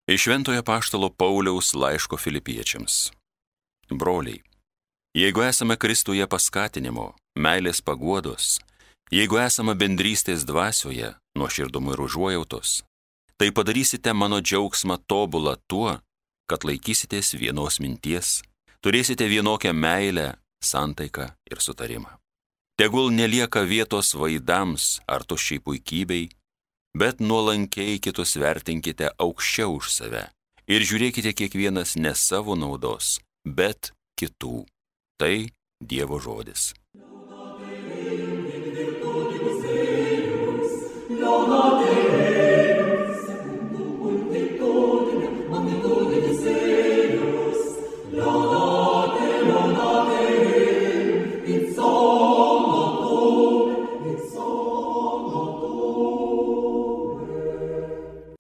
Iš Šventojo Apaštalo Pauliaus laiško Filipiečiams. Broliai, jeigu esame Kristuje paskatinimo, meilės paguodos, jeigu esame bendrystės dvasioje, nuoširdumo ir užuojautos, tai padarysite mano džiaugsmą tobulą tuo, kad laikysitės vienos minties, turėsite vienokią meilę, santaiką ir sutarimą. Tegul nelieka vietos vaidams ar tuščiai puikybei, bet nuolankiai kitus vertinkite aukščiau už save ir žiūrėkite kiekvienas ne savo naudos, bet kitų. Tai Dievo žodis.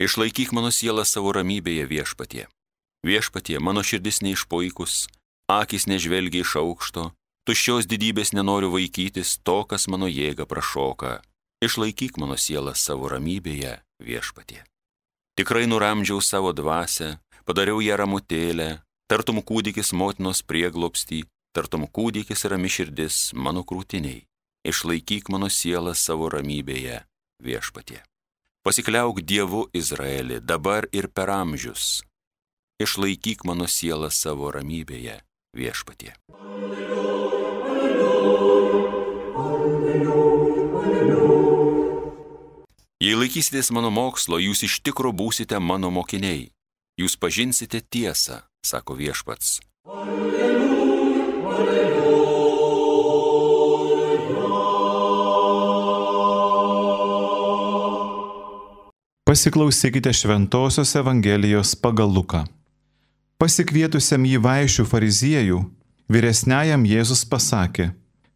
Išlaikyk mano sielą savo ramybėje, Viešpatie. Viešpatie, mano širdis neišpuikus, akys nežvelgia iš aukšto, tuščios didybės nenoriu vaikytis, to, kas mano jėgą prašoka. Išlaikyk mano sielą savo ramybėje, Viešpatie. Tikrai nuramdžiau savo dvasią, padariau ją ramutėlę, tartum kūdikis motinos prieglobstį, tartum kūdikis rami širdis mano krūtiniai. Išlaikyk mano sielą savo ramybėje, Viešpatie. Pasikliauk Dievu Izraeli, dabar ir per amžius. Išlaikyk mano sielą savo ramybėje, Viešpatie. Jei laikysitės mano mokslo, jūs iš tikro būsite mano mokiniai. Jūs pažinsite tiesą, sako Viešpats. Pasiklausykite Šventosios Evangelijos pagal Luką. Pasikvietusiam jį vaišių fariziejų, vyresniajam Jėzus pasakė: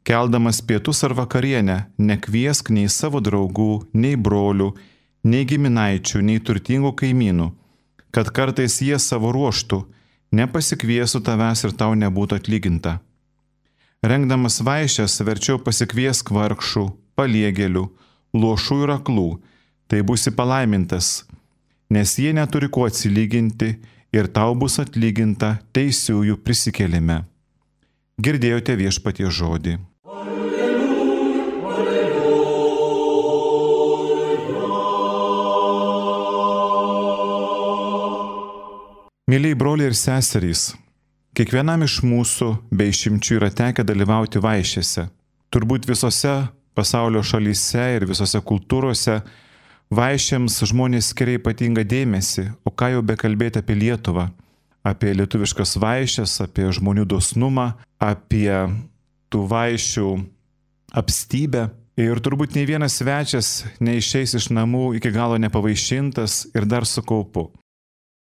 keldamas pietus ar vakarienę, nekviesk nei savo draugų, nei brolių, nei giminaičių, nei turtingų kaimynų, kad kartais jie savo ruoštų nepasikviestų tavęs ir tau nebūtų atlyginta. Rengdamas vaišes, verčiau pasikviesk vargšų, paliegėlių, luošų ir aklų, tai būsi palaimintas, nes jie neturi ko atsilyginti ir tau bus atlyginta teisiųjų prisikėlime. Girdėjote Viešpaties žodį. Mėlyjei broliai ir seserys, kiekvienam iš mūsų be išimčių yra tekę dalyvauti vaišėse. Turbūt visose pasaulio šalyse ir visose kultūrose vaišėms žmonės skiria ypatingą dėmesį, o ką jau bekalbėti apie Lietuvą, apie lietuviškas vaišes, apie žmonių dosnumą, apie tų vaišių apstybę. Ir turbūt nei vienas svečias neišeis iš namų iki galo nepavaišintas ir dar su kaupu.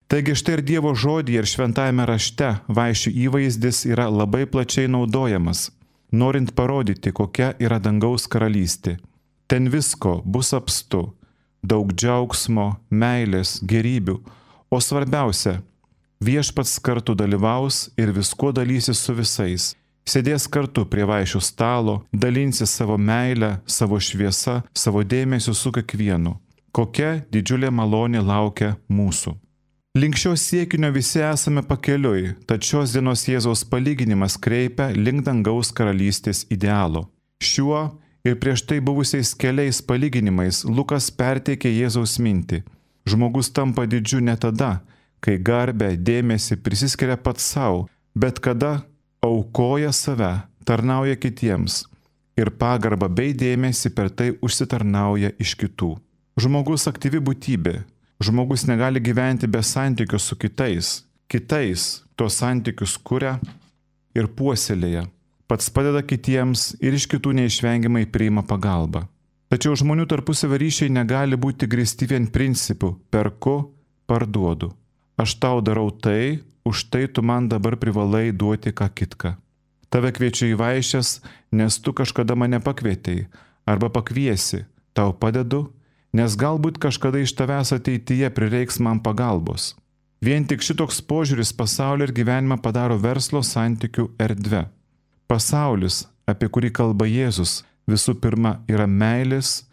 Taigi štai ir Dievo žodyje ir šventajame rašte vaišių įvaizdis yra labai plačiai naudojamas, norint parodyti, kokia yra dangaus karalystė. Ten visko bus apstu, daug džiaugsmo, meilės, gerybių, o svarbiausia, Viešpats kartu dalyvaus ir viskuo dalysis su visais. Sėdės kartu prie vaišių stalo, dalinsis savo meilę, savo šviesą, savo dėmesiu su kiekvienu. Kokia didžiulė malonė laukia mūsų. Link šio siekinio visi esame pakeliui, tad šios dienos Jėzaus palyginimas kreipia link dangaus karalystės idealo. Šiuo ir prieš tai buvusiais keliais palyginimais Lukas perteikė Jėzaus mintį. Žmogus tampa didžiu ne tada, kai garbę, dėmesį prisiskiria pats savo, bet kada aukoja save, tarnauja kitiems ir pagarbą bei dėmesį per tai užsitarnauja iš kitų. Žmogus aktyvi būtybė. Žmogus negali gyventi be santykių su kitais. Kitais tos santykius kuria ir puoselėja. Pats padeda kitiems ir iš kitų neišvengiamai priima pagalbą. Tačiau žmonių tarpusavio ryšiai negali būti grįsti vien principu perku, parduodu. Aš tau darau tai, už tai tu man dabar privalai duoti ką kitką. Tave kviečiu į vaišes, nes tu kažkada mane pakvietei, arba pakviesi, tau padedu, nes galbūt kažkada iš tavęs ateityje prireiks man pagalbos. Vien tik šitoks požiūris pasaulį ir gyvenimą padaro verslo santykių erdve. Pasaulis, apie kurį kalba Jėzus, visų pirma yra meilės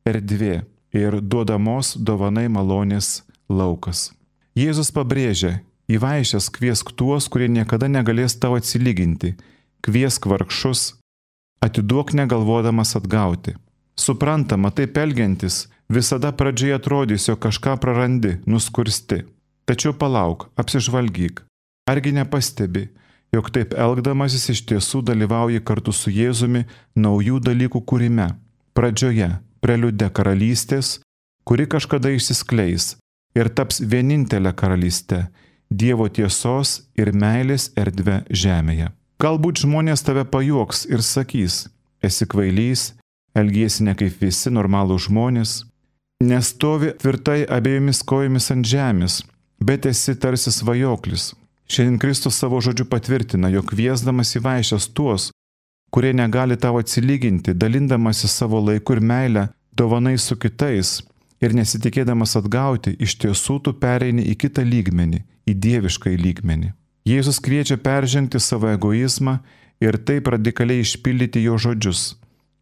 erdvė ir duodamos dovanai malonės laukas. Jėzus pabrėžia, į vaišes kviesk tuos, kurie niekada negalės tau atsilyginti, kviesk vargšus, atiduok negalvodamas atgauti. Suprantama, taip elgiantis, visada pradžioje atrodys, jog kažką prarandi, nuskursti. Tačiau palauk, apsižvalgyk. Argi nepastebi, jog taip elgdamasis iš tiesų dalyvauji kartu su Jėzumi naujų dalykų kūrime. Pradžioje, preliude karalystės, kuri kažkada išsiskleis ir taps vienintelė karalystė, Dievo tiesos ir meilės erdve žemėje. Galbūt žmonės tave pajuoks ir sakys, esi kvailys, elgiesi ne kaip visi normalūs žmonės, nestovi tvirtai abiejomis kojomis ant žemės, bet esi tarsi svajoklis. Šiandien Kristus savo žodžiu patvirtina, jog kviesdamas į vaišes tuos, kurie negali tau atsilyginti, dalindamasi savo laiku ir meilę, dovanai su kitais ir nesitikėdamas atgauti, iš tiesų tu pereini į kitą lygmenį, į dieviškąjį lygmenį. Jėzus kviečia peržengti savo egoizmą ir taip radikaliai išpildyti jo žodžius.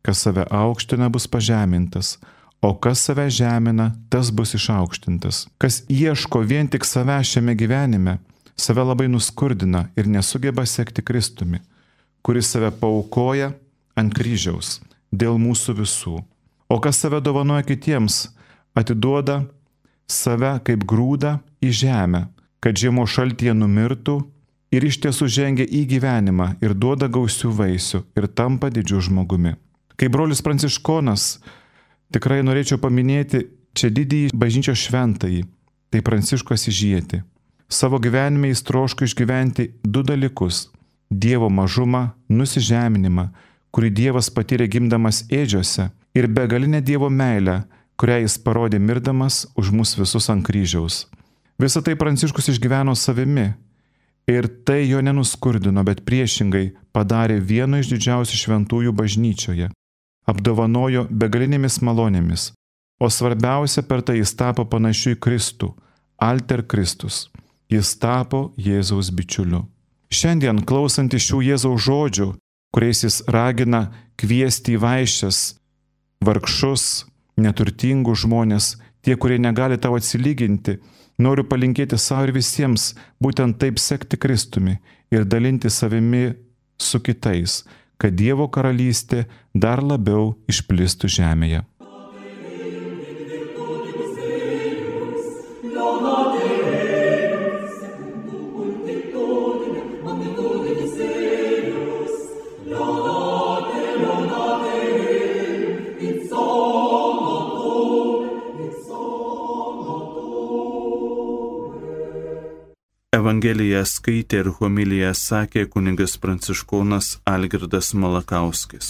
Kas save aukština, bus pažemintas, o kas save žemina, tas bus išaukštintas. Kas ieško vien tik save šiame gyvenime, save labai nuskurdina ir nesugeba sekti Kristumi, kuris save paaukoja ant kryžiaus dėl mūsų visų. O kas save dovanoja kitiems, atiduoda save kaip grūdą į žemę, kad žiemos šaltyje numirtų ir iš tiesų žengia į gyvenimą ir duoda gausių vaisių ir tampa didžiu žmogumi. Kaip brolis Pranciškonas, tikrai norėčiau paminėti čia didįjį bažnyčios šventąjį, tai Pranciškų Asyžietį. Savo gyvenime jis troško išgyventi du dalykus – Dievo mažumą, nusižeminimą, kurį Dievas patyrė gimdamas ėdžiose, ir begalinę Dievo meilę, kurią jis parodė mirdamas už mus visus ant kryžiaus. Visą tai Pranciškus išgyveno savimi ir tai jo nenuskurdino, bet priešingai padarė vieno iš didžiausių šventųjų bažnyčioje, apdovanojo begalinėmis malonėmis, o svarbiausia per tai jis tapo panašiu į Kristų, alter Kristus, jis tapo Jėzaus bičiuliu. Šiandien klausantis šių Jėzaus žodžių, kuriais jis ragina kviesti į vaišes vargšus, neturtingus žmonės, tie, kurie negali tau atsilyginti, noriu palinkėti savo ir visiems būtent taip sekti Kristumi ir dalinti savimi su kitais, kad Dievo karalystė dar labiau išplistų žemėje. Evangeliją skaitė ir homiliją sakė kunigas pranciškonas Algirdas Malakauskis.